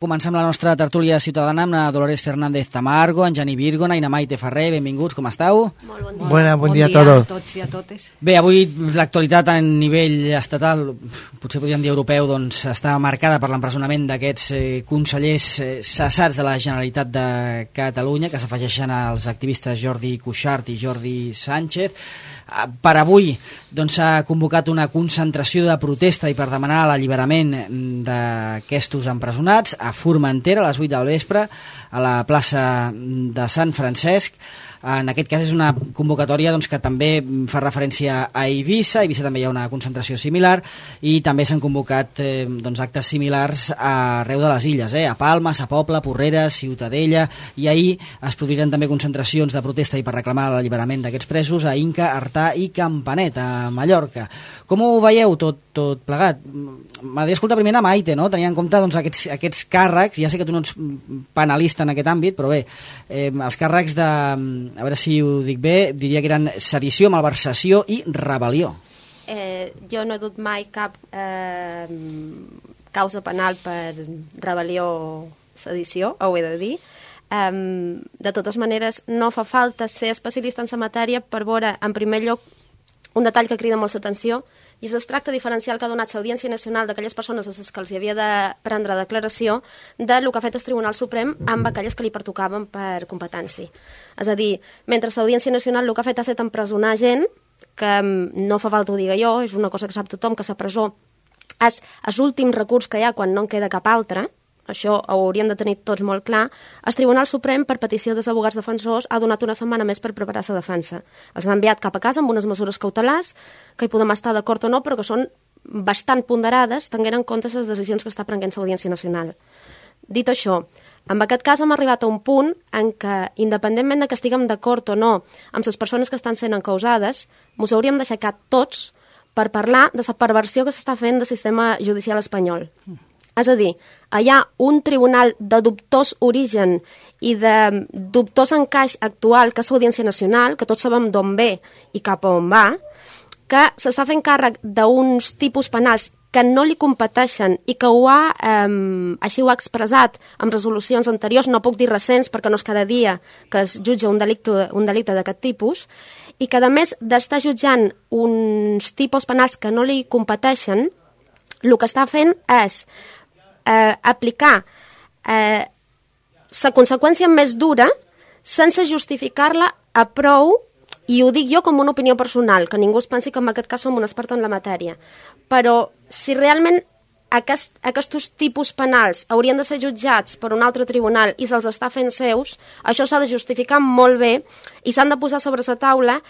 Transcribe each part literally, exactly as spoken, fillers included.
Comencem la nostra tertúlia ciutadana amb la Dolores Fernández Tamargo, en Jani Virgona i na Maite Ferrer. Benvinguts, com esteu? Molt bon dia. Buena, bon, bon dia, dia a tots. a tots i a totes. Bé, avui l'actualitat a nivell estatal, potser podríem dir europeu, doncs està marcada per l'empresonament d'aquests eh, consellers eh, cessats de la Generalitat de Catalunya, que s'afegeixen als activistes Jordi Cuixart i Jordi Sánchez. Per avui doncs, s'ha convocat una concentració de protesta i per demanar l'alliberament d'aquests empresonats a Formentera a les vuit del vespre a la plaça de Sant Francesc. En aquest cas és una convocatòria doncs, que també fa referència a Eivissa. A Eivissa també hi ha una concentració similar i també s'han convocat eh, doncs, actes similars arreu de les illes, eh? A Palma, a Pobla, Porreres, Ciutadella, i ahir es produiran també concentracions de protesta i per reclamar l'alliberament d'aquests presos a Inca, Artà i Campanet, a Mallorca. Com ho veieu tot, tot plegat? M'agradaria escoltar primer a Maite, no? Tenint en compte doncs, aquests, aquests càrrecs, ja sé que tu no ets penalista en aquest àmbit, però bé, eh, els càrrecs de... a veure si ho dic bé, diria que eren sedició, malversació i rebel·lió. Eh, jo no he dut mai cap eh, causa penal per rebel·lió o sedició, ho he de dir. Eh, de totes maneres, no fa falta ser especialista en la matèria per veure, en primer lloc, un detall que crida molt l'atenció, i és el tracte diferencial que ha donat l'Audiència Nacional d'aquelles persones a les que els hi havia de prendre declaració del que ha fet el Tribunal Suprem amb aquelles que li pertocaven per competència. És a dir, mentre l'Audiència Nacional el que ha fet ha estat empresonar gent, que no fa falta ho digui jo, és una cosa que sap tothom, que la presó és l'últim recurs que hi ha quan no en queda cap altre. Això ho hauríem de tenir tots molt clar. El Tribunal Suprem, per petició dels abogats defensors, ha donat una setmana més per preparar la defensa. Els han enviat cap a casa amb unes mesures cautelars, que hi podem estar d'acord o no, però que són bastant ponderades, tenint en compte les decisions que està prenent l'Audiència Nacional. Dit això, en aquest cas hem arribat a un punt en què, independentment de que estiguem d'acord o no amb les persones que estan sent encausades, ens hauríem d'aixecar tots per parlar de la perversió que s'està fent del sistema judicial espanyol. És a dir, hi ha un tribunal de dubtós origen i de dubtós encaix actual, que és l'Audiència Nacional, que tots sabem d'on ve i cap a on va, que s'està fent càrrec d'uns tipus penals que no li competeixen i que ho ha, eh, així ho ha expressat en resolucions anteriors, no puc dir recents perquè no és cada dia que es jutja un delicte, un delicte d'aquest tipus, i que a més d'estar jutjant uns tipus penals que no li competeixen, el que està fent és eh, aplicar eh, la conseqüència més dura sense justificar-la a prou, i ho dic jo com una opinió personal, que ningú es pensi que en aquest cas som un expert en la matèria, però si realment aquest, aquests tipus penals haurien de ser jutjats per un altre tribunal i se'ls està fent seus, això s'ha de justificar molt bé i s'han de posar sobre la taula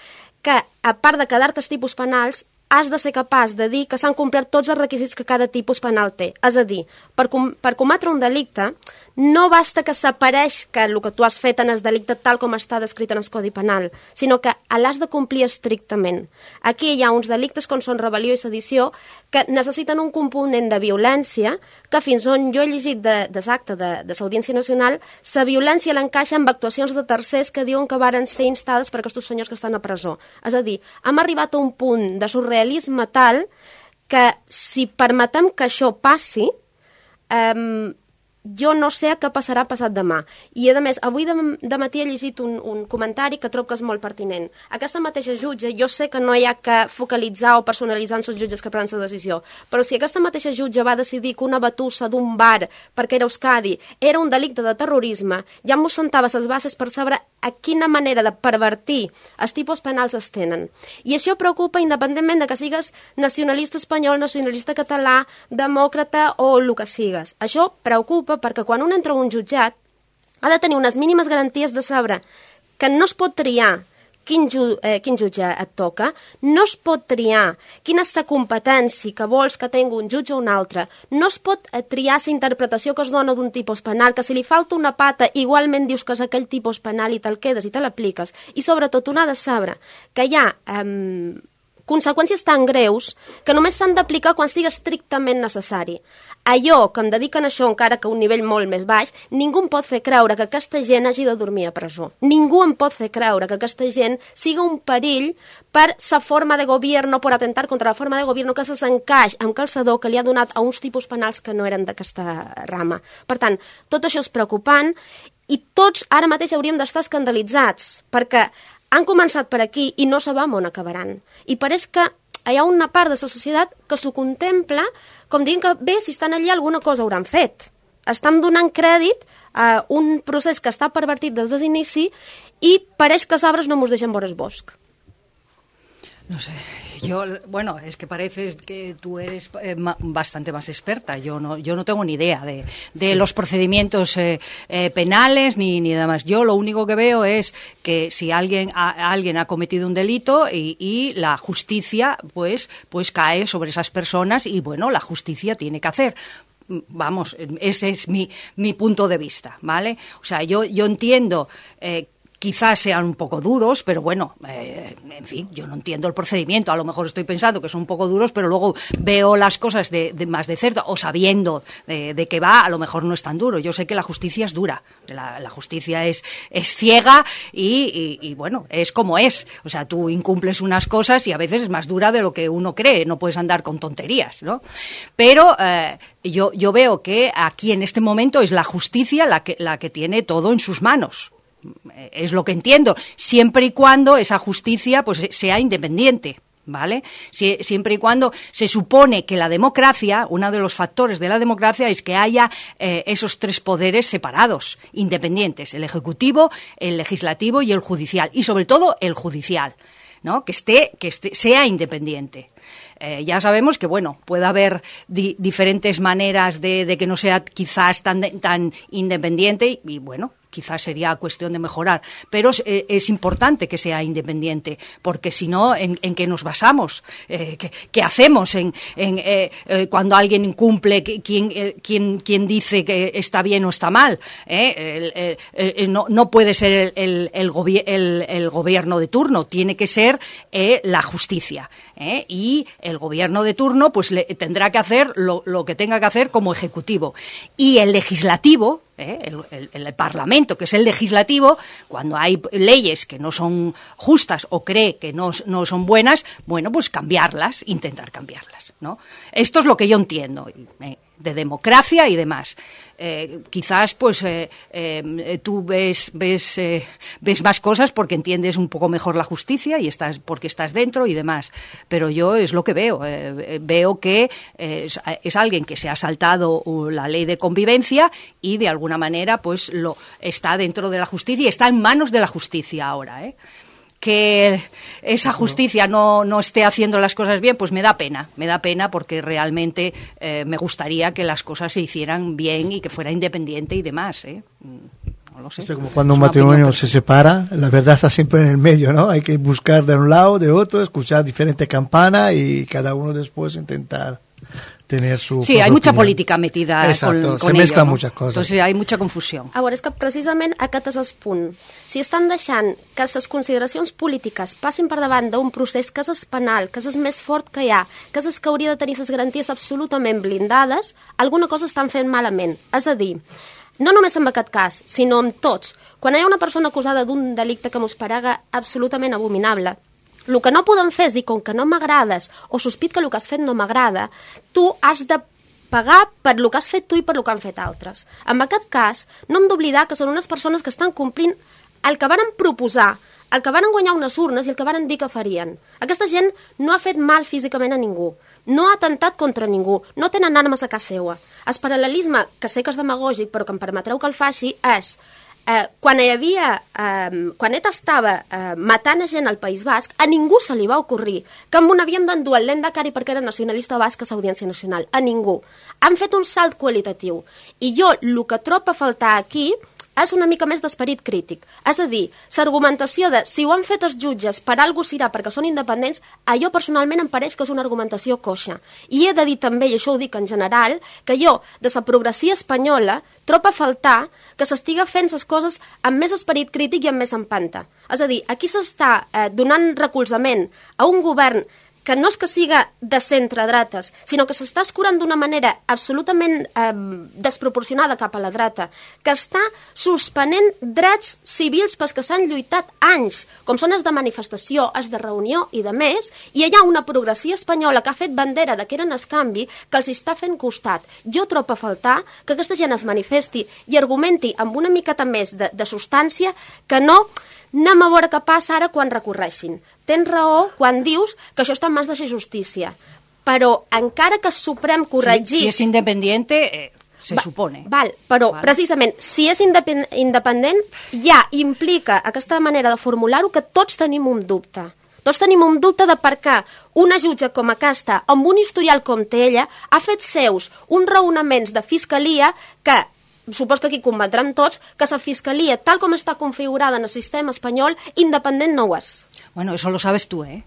que, a part de quedar-te els tipus penals, has de ser capaç de dir que s'han complert tots els requisits que cada tipus penal té. És a dir, per, com, per cometre un delicte, no basta que s'apareix que el que tu has fet en el delicte tal com està descrit en el Codi Penal, sinó que l'has de complir estrictament. Aquí hi ha uns delictes com són rebel·lió i sedició que necessiten un component de violència que fins on jo he llegit de, de l'acte de, de l'Audiència Nacional, la violència l'encaixa amb actuacions de tercers que diuen que varen ser instades per aquests senyors que estan a presó. És a dir, hem arribat a un punt de surrealisme tal que si permetem que això passi, eh, jo no sé què passarà passat demà. I, a més, avui de, de matí he llegit un, un comentari que trobo que és molt pertinent. Aquesta mateixa jutge, jo sé que no hi ha que focalitzar o personalitzar en els jutges que prenen la decisió, però si aquesta mateixa jutge va decidir que una batussa d'un bar, perquè era Euskadi, era un delicte de terrorisme, ja m'ho sentava les bases per saber a quina manera de pervertir els tipus penals es tenen. I això preocupa independentment de que sigues nacionalista espanyol, nacionalista català, demòcrata o el que sigues. Això preocupa perquè quan un entra a un jutjat ha de tenir unes mínimes garanties de saber que no es pot triar quin, ju eh, quin jutge et toca, no es pot triar quina és la competència que vols que tingui un jutge o un altre, no es pot eh, triar la interpretació que es dona d'un tipus penal, que si li falta una pata igualment dius que és aquell tipus penal i te'l quedes i te l'apliques, i sobretot un ha de saber que hi ha eh, conseqüències tan greus que només s'han d'aplicar quan sigui estrictament necessari. Allò que em dediquen a això, encara que a un nivell molt més baix, ningú em pot fer creure que aquesta gent hagi de dormir a presó. Ningú em pot fer creure que aquesta gent siga un perill per sa forma de govern, per atentar contra la forma de govern que se s'encaix amb calçador que li ha donat a uns tipus penals que no eren d'aquesta rama. Per tant, tot això és preocupant i tots ara mateix hauríem d'estar escandalitzats perquè han començat per aquí i no sabem on acabaran. I pareix que hi ha una part de la societat que s'ho contempla com dient que bé, si estan allà alguna cosa hauran fet. Estan donant crèdit a un procés que està pervertit des de l'inici i pareix que els arbres no mos deixen veure el bosc. No sé, yo, bueno, es que parece que tú eres eh, ma, bastante más experta. Yo no, yo no tengo ni idea de, de sí. los procedimientos eh, eh, penales ni, ni demás. Yo lo único que veo es que si alguien ha, alguien ha cometido un delito y, y la justicia pues, pues cae sobre esas personas y bueno, la justicia tiene que hacer. Vamos, ese es mi, mi punto de vista, ¿vale? O sea, yo, yo entiendo eh, quizás sean un poco duros, pero bueno, eh, en fin, yo no entiendo el procedimiento. A lo mejor estoy pensando que son un poco duros, pero luego veo las cosas de, de más de cerca, o sabiendo de, de qué va, a lo mejor no es tan duro. Yo sé que la justicia es dura, la, la justicia es, es ciega y, y, y, bueno, es como es. O sea, tú incumples unas cosas y a veces es más dura de lo que uno cree, no puedes andar con tonterías, ¿no? Pero eh, yo, yo veo que aquí en este momento es la justicia la que, la que tiene todo en sus manos. Es lo que entiendo, siempre y cuando esa justicia pues sea independiente, ¿vale? Si, siempre y cuando se supone que la democracia, uno de los factores de la democracia es que haya eh, esos tres poderes separados, independientes, el ejecutivo, el legislativo y el judicial, y sobre todo el judicial, ¿no? Que esté, que esté, sea independiente. Eh, ya sabemos que, bueno, puede haber di diferentes maneras de, de que no sea quizás tan, tan independiente y, y, bueno, quizás sería cuestión de mejorar, pero es, eh, es importante que sea independiente, porque si no, ¿en, en qué nos basamos? Eh, ¿qué, ¿Qué hacemos en, en, eh, eh, cuando alguien incumple? ¿Quién, eh, quién, quién dice que está bien o está mal? ¿Eh? El, el, el, no, no puede ser el, el, el, gobi el, el gobierno de turno, tiene que ser eh, la justicia. ¿Eh? Y el gobierno de turno pues le, tendrá que hacer lo, lo que tenga que hacer como ejecutivo. Y el legislativo, ¿eh? el, el, el Parlamento, que es el legislativo, cuando hay leyes que no son justas o cree que no, no son buenas, bueno, pues cambiarlas, intentar cambiarlas, ¿no? Esto es lo que yo entiendo ¿eh? de democracia y demás. Eh, quizás pues eh, eh, tú ves ves eh, ves más cosas porque entiendes un poco mejor la justicia y estás porque estás dentro y demás, pero yo es lo que veo eh, veo que eh, es, es alguien que se ha saltado la ley de convivencia y de alguna manera pues lo está dentro de la justicia y está en manos de la justicia ahora, ¿eh? Que esa justicia no, no esté haciendo las cosas bien, pues me da pena, me da pena porque realmente eh, me gustaría que las cosas se hicieran bien y que fuera independiente y demás, ¿eh? No lo sé. Es como cuando un matrimonio se separa, la verdad está siempre en el medio, ¿no? Hay que buscar de un lado, de otro, escuchar diferentes campanas y cada uno después intentar tener su sí, hay mucha opinión. Política metida Exacto, con, con se mezclan ello, ¿no? muchas cosas. Entonces hay mucha confusió. A veure, és que precisament aquest és el punt. Si estan deixant que les consideracions polítiques passin per davant d'un procés que és penal, que és el més fort que hi ha, que és el que hauria de tenir les garanties absolutament blindades, alguna cosa estan fent malament. És a dir, no només en aquest cas, sinó en tots. Quan hi ha una persona acusada d'un delicte que mos parega absolutament abominable, el que no podem fer és dir, com que no m'agrades o sospit que el que has fet no m'agrada, tu has de pagar per el que has fet tu i per el que han fet altres. En aquest cas, no hem d'oblidar que són unes persones que estan complint el que varen proposar, el que varen guanyar unes urnes i el que varen dir que farien. Aquesta gent no ha fet mal físicament a ningú, no ha atemptat contra ningú, no tenen armes a casa seva. El paral·lelisme, que sé que és demagògic, però que em permetreu que el faci, és Eh, quan hi havia, eh, quan ETA estava eh, matant a gent al País Basc, a ningú se li va ocorrir que amb un havíem d'endur el Lehendakari perquè era nacionalista basc a l'Audiència Nacional. A ningú. Han fet un salt qualitatiu. I jo, el que trobo a faltar aquí és una mica més d'esperit crític. És a dir, l'argumentació de si ho han fet els jutges per algú serà perquè són independents, a jo personalment em pareix que és una argumentació coixa. I he de dir també, i això ho dic en general, que jo, de la progressia espanyola, trobo a faltar que s'estiga fent les coses amb més esperit crític i amb més empanta. És a dir, aquí s'està eh, donant recolzament a un govern que no és que siga de centre-dretes, sinó que s'està escurant d'una manera absolutament eh, desproporcionada cap a la dreta, que està suspenent drets civils pels que s'han lluitat anys, com són els de manifestació, els de reunió i de més, i hi ha una progressió espanyola que ha fet bandera de que eren el canvi que els està fent costat. Jo trobo a faltar que aquesta gent es manifesti i argumenti amb una miqueta més de, de substància que no... Anem a veure què passa ara quan recorreixin. Tens raó quan dius que això està en mans de la justícia. Però encara que el Suprem corregís... Si, si és independent, eh, se Va, supone. Val, però Val. precisament, si és independ independent, ja implica aquesta manera de formular-ho que tots tenim un dubte. Tots tenim un dubte de per què una jutge com aquesta, amb un historial com té ella, ha fet seus uns raonaments de fiscalia que... Supos que aquí combatrem tots que la fiscalia, tal com està configurada en el sistema espanyol, independent no ho és. Bueno, eso lo sabes tú, ¿eh?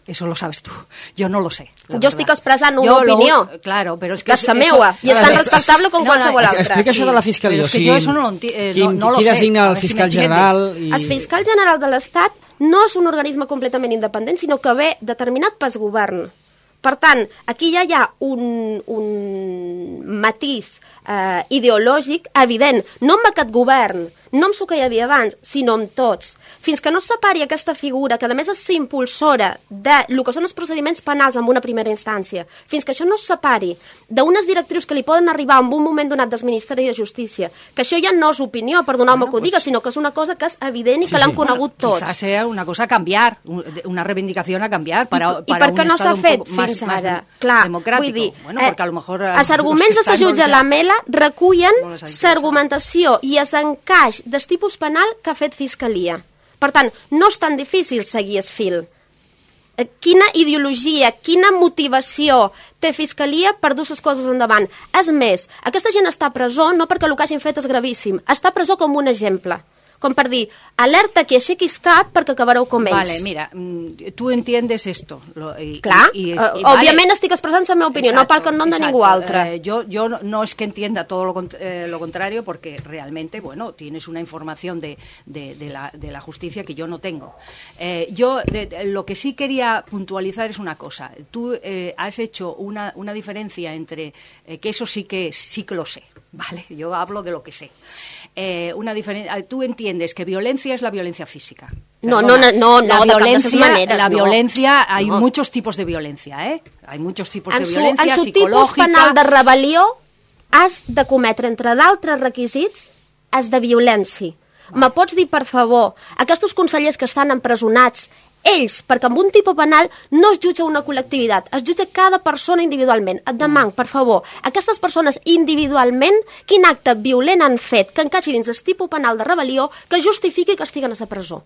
Eso lo sabes tú. Yo no lo sé. Jo estic expressant una opinió. Lo, claro, pero es que... Que és la meua, i és tan respectable com no, qualsevol no, altra. Explica això de la fiscalia. Però és que jo això no lo, eh, qui, no, no lo qui sé. designa el A ver si fiscal me general? I... El fiscal general de l'Estat no és un organisme completament independent, sinó que ve determinat pel govern. Per tant, aquí ja hi ha un, un matís eh, ideològic evident, no amb aquest govern, no amb el que hi havia abans, sinó amb tots. Fins que no es separi aquesta figura, que a més és impulsora de lo que són els procediments penals en una primera instància, fins que això no es separi d'unes directrius que li poden arribar en un moment donat del Ministeri de Justícia, que això ja no és opinió, perdoneu-me bueno, que ho diga, pues... sinó que és una cosa que és evident i sí, que l'han sí. conegut bueno, tots. Quizás sea una cosa a cambiar, una reivindicación a cambiar para, I, para i per què no s'ha fet fins més, ara? Més Clar, democràtic. Vull dir, bueno, perquè a lo mejor... Els arguments de la jutge Lamela recullen l'argumentació i els encaix del tipus penal que ha fet Fiscalia. Per tant, no és tan difícil seguir el fil. Quina ideologia, quina motivació té Fiscalia per dur les coses endavant? És més, aquesta gent està a presó no perquè el que hagin fet és gravíssim, està a presó com un exemple. Com per dir, alerta que aixequis cap perquè acabareu com ells. Vale, mira, tu entiendes esto. Lo, y, Clar, y, y, uh, y, òbviament vale. estic expressant la meva opinió, Exacto, no pel nom de ningú altre. Eh, yo yo no, no es que entienda todo lo, eh, lo contrario, porque realmente, bueno, tienes una información de, de, de, la, de la justicia que yo no tengo. Eh, yo de, de, lo que sí quería puntualizar es una cosa. Tú eh, has hecho una, una diferencia entre, eh, que eso sí que, sí que lo sé, ¿vale? Yo hablo de lo que sé. Eh, una diferencia. Tú entiendes que violencia es la violencia física. No, no, no, no, la no, violencia, de maneras, la no. violencia, hay no. muchos tipos de violencia, ¿eh? Hay muchos tipos en de su, violencia en su psicològica. En tipus penal de rebel·lió has de cometre, entre d'altres requisits, has de violència. Vale. Me pots dir, per favor, aquests consellers que estan empresonats, ells, perquè amb un tipus penal no es jutja una col·lectivitat, es jutja cada persona individualment. Et demanc, per favor, aquestes persones individualment, quin acte violent han fet que encaixi dins el tipus penal de rebel·lió que justifiqui que estiguen a la presó?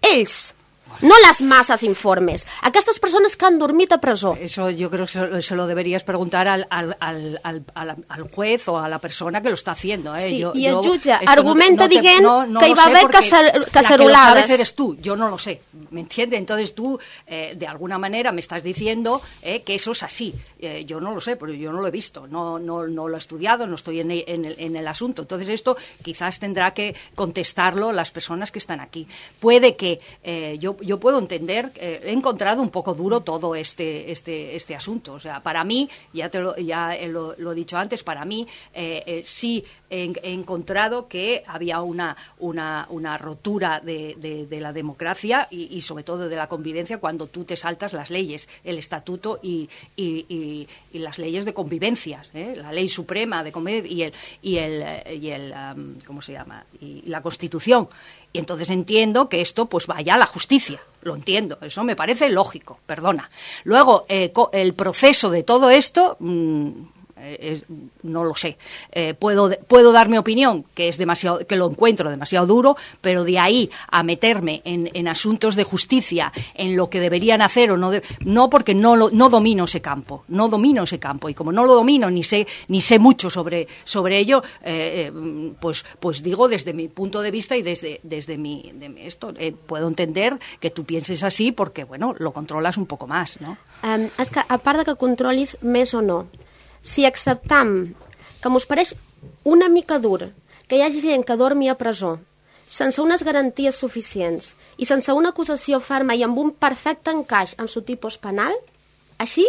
Ells, no las masas informes. Aquestes persones que han dormit a presó. Eso yo creo que se lo deberías preguntar al, al, al, al, al juez o a la persona que lo está haciendo. ¿eh? Sí, yo, y el yo, jutge argumenta no te, no dient no, no que hi va haver cacerolades. La que lo sabes eres tú, yo no lo sé, ¿me entiendes? Entonces tú, eh, de alguna manera, me estás diciendo eh, que eso es así. Eh, yo no lo sé, pero yo no lo he visto, no, no, no lo he estudiado, no estoy en el, en, el, en el asunto. Entonces esto quizás tendrá que contestarlo las personas que están aquí. Puede que eh, yo, yo puedo entender, eh, he encontrado un poco duro todo este, este, este asunto. O sea, para mí, ya, te lo, ya lo, lo he dicho antes, para mí eh, eh, sí he, he encontrado que había una, una, una rotura de, de, de la democracia y, y sobre todo de la convivencia cuando tú te saltas las leyes, el estatuto y, y, y, y las leyes de convivencia, ¿eh? La ley suprema de convivencia y el, y el, y el um, ¿cómo se llama? Y la Constitución. Y entonces entiendo que esto pues vaya a la justicia, lo entiendo, eso me parece lógico, perdona. Luego, eh, el proceso de todo esto, mmm, eh, no lo sé. Eh, puedo, puedo dar mi opinión, que es demasiado, que lo encuentro demasiado duro, pero de ahí a meterme en, en asuntos de justicia, en lo que deberían hacer o no, de, no porque no, lo, no domino ese campo, no domino ese campo, y como no lo domino ni sé, ni sé mucho sobre, sobre ello, eh, pues, pues digo desde mi punto de vista y desde, desde mi, de mi esto, eh, puedo entender que tú pienses así porque, bueno, lo controlas un poco más, ¿no? Um, és que, a part de que controlis més o no, si acceptam que mos pareix una mica dur que hi hagi gent que dormi a presó, sense unes garanties suficients i sense una acusació ferma i amb un perfecte encaix amb su tipus penal, així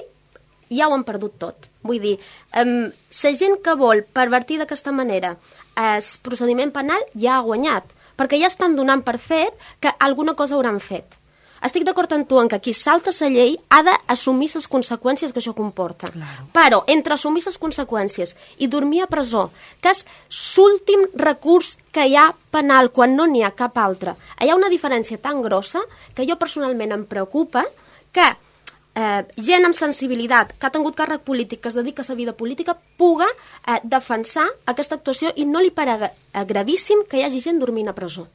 ja ho han perdut tot. Vull dir, um, la gent que vol pervertir d'aquesta manera el procediment penal ja ha guanyat, perquè ja estan donant per fet que alguna cosa hauran fet. Estic d'acord amb tu en que qui salta la llei ha d'assumir les conseqüències que això comporta. Claro. Però entre assumir les conseqüències i dormir a presó, que és l'últim recurs que hi ha penal quan no n'hi ha cap altre, hi ha una diferència tan grossa que jo personalment em preocupa que eh, gent amb sensibilitat, que ha tingut càrrec polític, que es dedica a la vida política, puga eh, defensar aquesta actuació i no li parega gravíssim que hi hagi gent dormint a presó.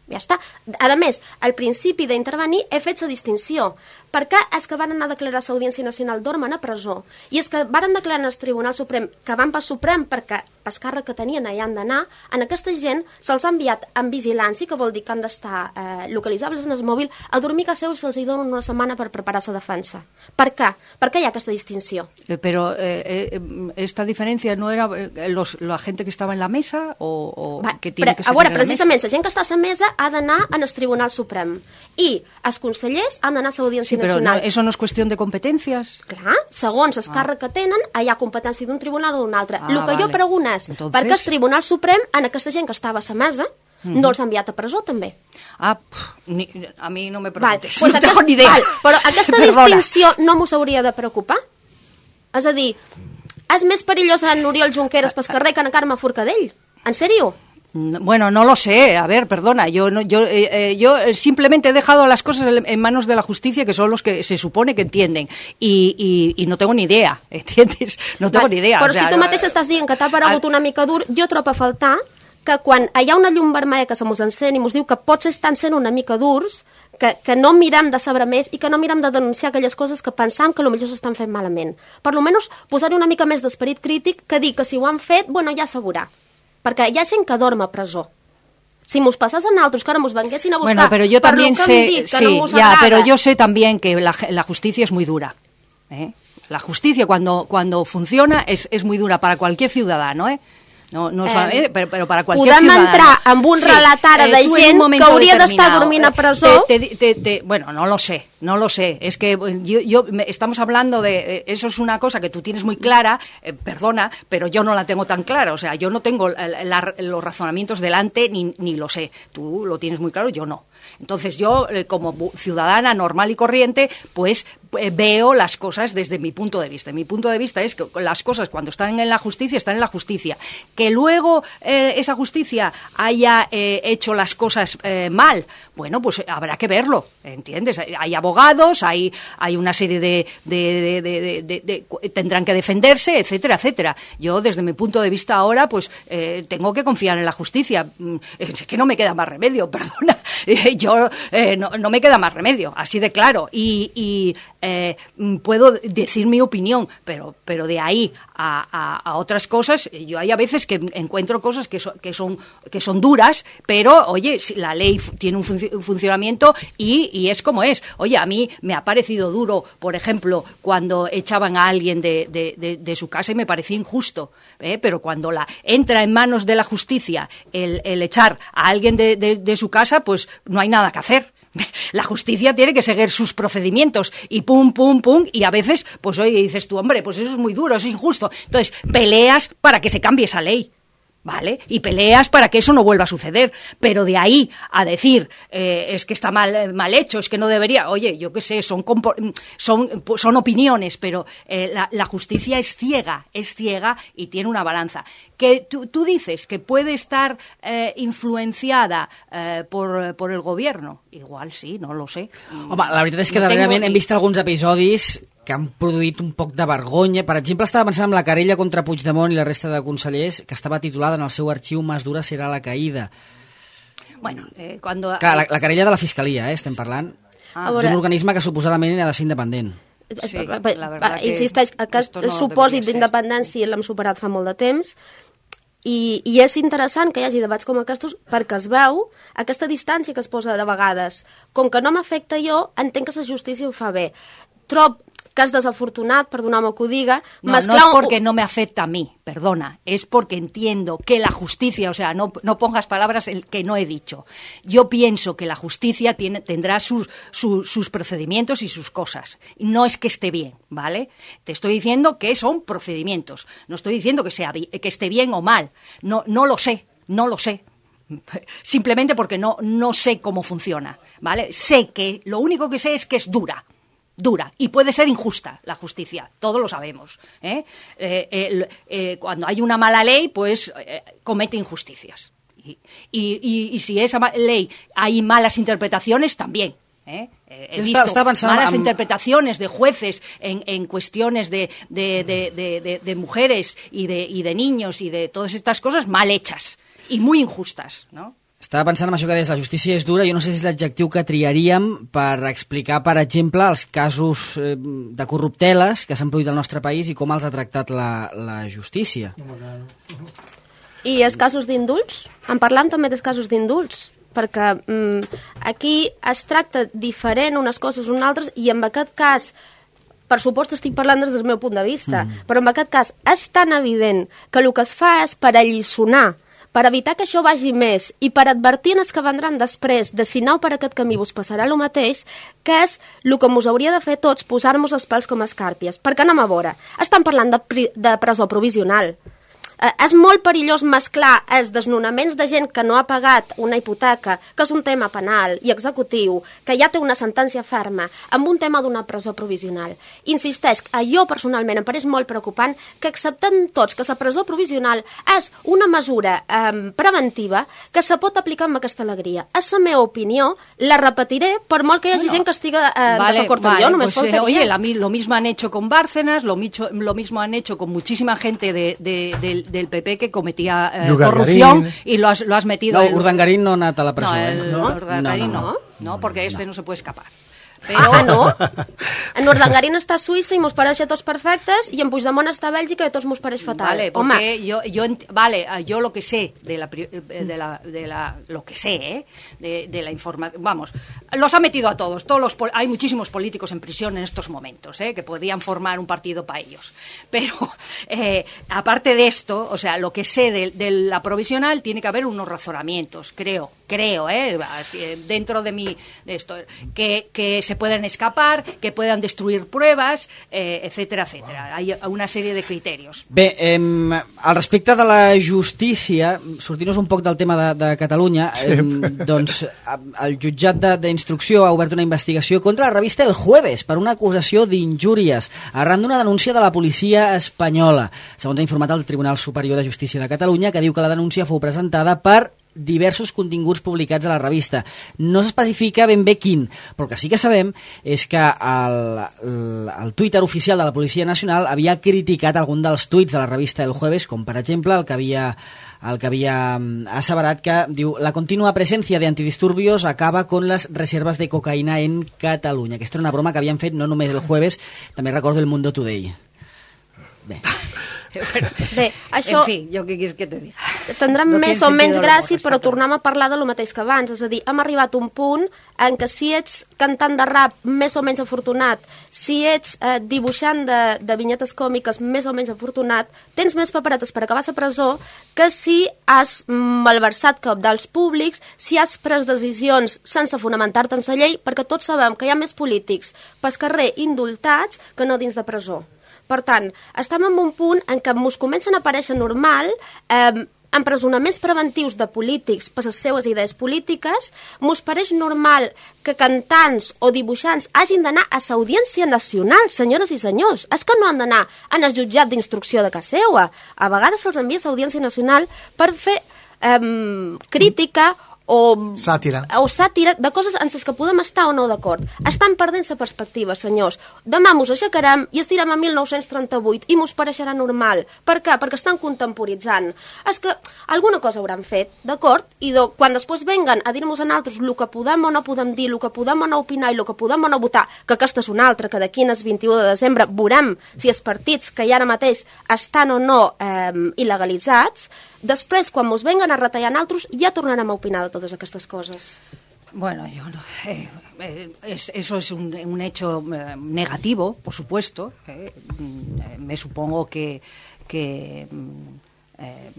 Ja està. A més, al principi d'intervenir he fet la distinció, perquè és que van anar a declarar a l'Audiència Nacional dormen a presó, i és que van declarar al Tribunal Suprem que van per Suprem perquè pel càrrec que tenien allà han d'anar, en aquesta gent se'ls ha enviat en vigilància, que vol dir que han d'estar eh, localitzables en el mòbil, a dormir a casa seu i se'ls hi dona una setmana per preparar la defensa. Per què? Per què hi ha aquesta distinció? Eh, però eh, eh, esta diferencia no era eh, los, la gente que estaba en la mesa o, o Va, que tiene pre, que ser a veure, en la precisament, mesa? la gent que està a la mesa ha d'anar en el Tribunal Suprem i els consellers han d'anar a l'Audiència Sí, però Nacional. no, eso no es cuestión de competencias. Clar, segons el Ah. càrrec que tenen, hi ha competència d'un tribunal o d'un altre. Ah, el que vale. jo pregunto és, Entonces... per què el Tribunal Suprem, en aquesta gent que estava a la mesa, Mhm. no els ha enviat a presó també? Ah, pff, ni, a mí no me Val, preguntes, pues no aquest, tengo ni idea. val, però aquesta Perdona. distinció no m'ho hauria de preocupar? És a dir, és més perillós en Oriol Junqueras pel carrer que en Carme Forcadell? En sèrio? Bueno, no lo sé. A ver, perdona. Yo, no, yo, eh, eh, yo simplemente he dejado las cosas en manos de la justicia, que son los que se supone que entienden. Y, y, y no tengo ni idea, ¿entiendes? No tengo Val, ni idea. Però o sea, si tu mateix estàs dient que t'ha paregut una mica dur, jo trobo a faltar que quan hi ha una llum vermella que se mos encén i mos diu que potser estan sent una mica durs, que, que no mirem de saber més i que no mirem de denunciar aquelles coses que pensam que potser s'estan fent malament. Per lo menys posar-hi una mica més d'esperit crític que dir que si ho han fet, bueno, ja s'aveurà. Perquè hi ha gent que dorm a presó. Si mos passés a nosaltres, que ara mos venguessin a buscar bueno, pero yo per también lo que sé, hem dit, que sí, no mos ya, agrada... pero yo sé también que la, la justicia es muy dura. ¿eh? La justicia cuando, cuando funciona es, es muy dura para cualquier ciudadano, ¿eh? No, no, eh, eh, pero, pero para cualquier podem ciudadano. entrar amb un sí, relato ara de eh, gent que hauria d'estar dormint a presó. Te, te, te, te, bueno, no lo sé, no lo sé. Es que yo, yo me, estamos hablando de... Eh, eso es una cosa que tú tienes muy clara, eh, perdona, pero yo no la tengo tan clara. O sea, yo no tengo la, la, los razonamientos delante ni, ni lo sé. Tú lo tienes muy claro, yo no. Entonces yo, eh, como ciudadana normal y corriente, pues eh, veo las cosas desde mi punto de vista. Mi punto de vista es que las cosas cuando están en la justicia, están en la justicia. Que luego eh, esa justicia haya eh, hecho las cosas eh, mal, bueno, pues habrá que verlo, ¿entiendes? Hay abogados, hay, hay una serie de, de, de, de, de, de, de... tendrán que defenderse, etcétera, etcétera. Yo, desde mi punto de vista ahora, pues eh, tengo que confiar en la justicia. Es que no me queda más remedio, perdona. Yo eh, no, no me queda más remedio, así de claro. Y, y eh, puedo decir mi opinión, pero, pero de ahí a, a, a otras cosas, yo hay a veces que encuentro cosas que, so, que, son, que son duras, pero, oye, la ley tiene un, func un funcionamiento y, y es como es. Oye, a mí me ha parecido duro, por ejemplo, cuando echaban a alguien de, de, de, de su casa y me parecía injusto, ¿eh? Pero cuando la entra en manos de la justicia el, el echar a alguien de, de, de su casa, pues no hay nada que hacer. La justicia tiene que seguir sus procedimientos y pum, pum, pum, y a veces, pues oye, dices tú, hombre, pues eso es muy duro, es injusto. Entonces, peleas para que se cambie esa ley, ¿vale? Y peleas para que eso no vuelva a suceder. Pero de ahí a decir, eh, es que está mal, mal hecho, es que no debería, oye, yo qué sé, son, son, son opiniones, pero eh, la, la justicia es ciega, es ciega y tiene una balanza. Que tú, tú dices que puede estar eh, influenciada eh, por, por el gobierno. Igual sí, no lo sé. Home, la veritat és que no darrerament tengo... hem vist alguns episodis que han produït un poc de vergonya. Per exemple, estava pensant en la querella contra Puigdemont i la resta de consellers, que estava titulada en el seu arxiu «Más dura serà la caïda». Bueno, eh, cuando... Clar, la, la querella de la Fiscalia, eh, estem parlant, Ah. d'un organisme que suposadament ha de ser independent. Sí, la verdad que insisteix, aquest no supòsit debería ser. d'independència l'hem superat fa molt de temps i, i és interessant que hi hagi debats com aquests perquè es veu aquesta distància que es posa de vegades. Com que no m'afecta jo, entenc que la justícia ho fa bé. Trob, que és desafortunat, perdona'm que ho diga, no, mezclar... No es porque no me afecta a mí, perdona, es porque entiendo que la justicia, o sea, no, no pongas palabras que no he dicho. Yo pienso que la justicia tiene, tendrá sus, sus, sus procedimientos y sus cosas. No es que esté bien, ¿vale? Te estoy diciendo que son procedimientos. No estoy diciendo que, sea, que esté bien o mal. No, no lo sé, no lo sé. Simplemente porque no, no sé cómo funciona, ¿vale? Sé que, lo único que sé es que es dura. dura y puede ser injusta la justicia, todos lo sabemos, ¿eh? Eh, eh, eh, cuando hay una mala ley, pues eh, comete injusticias. Y, y, y, y si esa ley hay malas interpretaciones, también. ¿eh? Eh, he visto està, està malas amb... interpretaciones de jueces en, en cuestiones de, de, de, de, de, de mujeres y de, y de niños y de todas estas cosas mal hechas y muy injustas, ¿no? Estava pensant en això que deies, la justícia és dura, jo no sé si és l'adjectiu que triaríem per explicar, per exemple, els casos eh, de corrupteles que s'han produït al nostre país i com els ha tractat la, la justícia. I els casos d'indults? En parlant també dels casos d'indults, perquè mm, aquí es tracta diferent unes coses unes altres i en aquest cas, per supost estic parlant des del meu punt de vista, mm. però en aquest cas és tan evident que el que es fa és per alliçonar, per evitar que això vagi més i per advertir els que vendran després de si aneu per aquest camí vos passarà el mateix, que és el que us hauria de fer tots, posar-nos els pèls com a escàrpies. Perquè anem a veure, estan parlant de, pri de presó provisional. Eh, és molt perillós mesclar els desnonaments de gent que no ha pagat una hipoteca, que és un tema penal i executiu, que ja té una sentència ferma, amb un tema d'una presó provisional. Insisteix, a jo personalment em pareix molt preocupant que acceptem tots que la presó provisional és una mesura eh, preventiva que se pot aplicar amb aquesta alegria. És la meva opinió, la repetiré per molt que hi hagi bueno, gent que estiga eh, vale, desacord amb vale, jo, només pues, faltaria. Oye, la, lo mismo han hecho con Bárcenas, lo, micho, lo mismo han hecho con muchísima gente de, de, de del P P que cometía eh, corrupción y lo has, lo has metido... No, el... Urdangarín no ha anat a la presó. No, eh? el, no? Urdangarín no, no, no, no, porque este no, no se puede escapar. Però... Ah, no? En Urdangarín està a Suïssa i mos pareix a tots perfectes i en Puigdemont està a Bèlgica i a tots mos pareix fatal. Vale, porque yo, yo, vale, yo lo que sé de la, de la, de la lo que sé, ¿eh? de, de la información, vamos, los ha metido a todos, todos los, hay muchísimos políticos en prisión en estos momentos, ¿eh? que podrían formar un partido para ellos. Pero, eh, aparte de esto, o sea, lo que sé de, de la provisional, tiene que haber unos razonamientos, creo, creo, ¿eh? dentro de mi, de esto, que, que se pueden escapar, que puedan destruir pruebas, eh, etcétera, etcétera. Hay una sèrie de criteris. Bé, eh, al respecte de la justícia, sortint-nos un poc del tema de, de Catalunya, sí. eh, doncs el jutjat d'instrucció ha obert una investigació contra la revista El Jueves per una acusació d'injúries arran d'una denúncia de la policia espanyola. Segons ha informat el Tribunal Superior de Justícia de Catalunya, que diu que la denúncia fou presentada per diversos continguts publicats a la revista. No s'especifica ben bé quin, però el que sí que sabem és que el, el, el Twitter oficial de la Policia Nacional havia criticat algun dels tuits de la revista El Jueves, com per exemple el que havia, el que havia asseverat que diu la contínua presència de antidisturbios acaba con las reservas de cocaïna en Catalunya. Aquesta era una broma que havien fet no només El Jueves, també recordo El Mundo Today. Bé... Bueno, bé, això... En fi, jo què quieres que te diga? Tindrem no més o menys gràcia, però tornem a parlar de lo mateix que abans. És a dir, hem arribat a un punt en què si ets cantant de rap més o menys afortunat, si ets eh, dibuixant de, de vinyetes còmiques més o menys afortunat, tens més paperetes per acabar a la presó que si has malversat cabdals públics, si has pres decisions sense fonamentar-te en la llei, perquè tots sabem que hi ha més polítics pel carrer indultats que no dins de presó. Per tant, estem en un punt en què ens comencen a aparèixer normal eh, empresonaments preventius de polítics per les seues idees polítiques, ens pareix normal que cantants o dibuixants hagin d'anar a l'Audiència Nacional, senyores i senyors. És que no han d'anar en el jutjat d'instrucció de casa seva. A vegades se'ls envia a l'Audiència Nacional per fer eh, crítica o sàtira. o sàtira de coses en les que podem estar o no d'acord. Estan perdent la perspectiva, senyors. Demà mos aixecarem i estirem a mil nou-cents trenta-vuit i mos pareixerà normal. Per què? Perquè estan contemporitzant. És que alguna cosa hauran fet, d'acord? I do, quan després venguen a dir-nos a nosaltres el que podem o no podem dir, el que podem o no opinar i el que podem o no votar, que aquesta és una altra, que d'aquí al vint-i-u de desembre veurem si els partits que hi ara mateix estan o no eh, il·legalitzats, després, quan ens venguen a retallar nosaltres, ja tornarem a opinar de totes aquestes coses. Bueno, yo no. Eh, eh, es, eso es un, un hecho eh, negativo, por supuesto. Eh, me supongo que, que eh,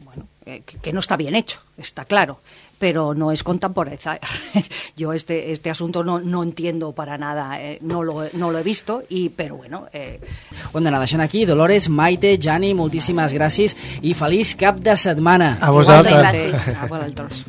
bueno, eh, que, que no está bien hecho, está claro, pero no es contemporaneizar. Yo este este asunto no, no entiendo para nada, eh, no, lo, no lo he visto, i, però bueno... Eh... Ho hem d'anar deixant aquí. Dolores, Maite, Jani, moltíssimes gràcies i feliç cap de setmana. A vosaltres. A vosaltres.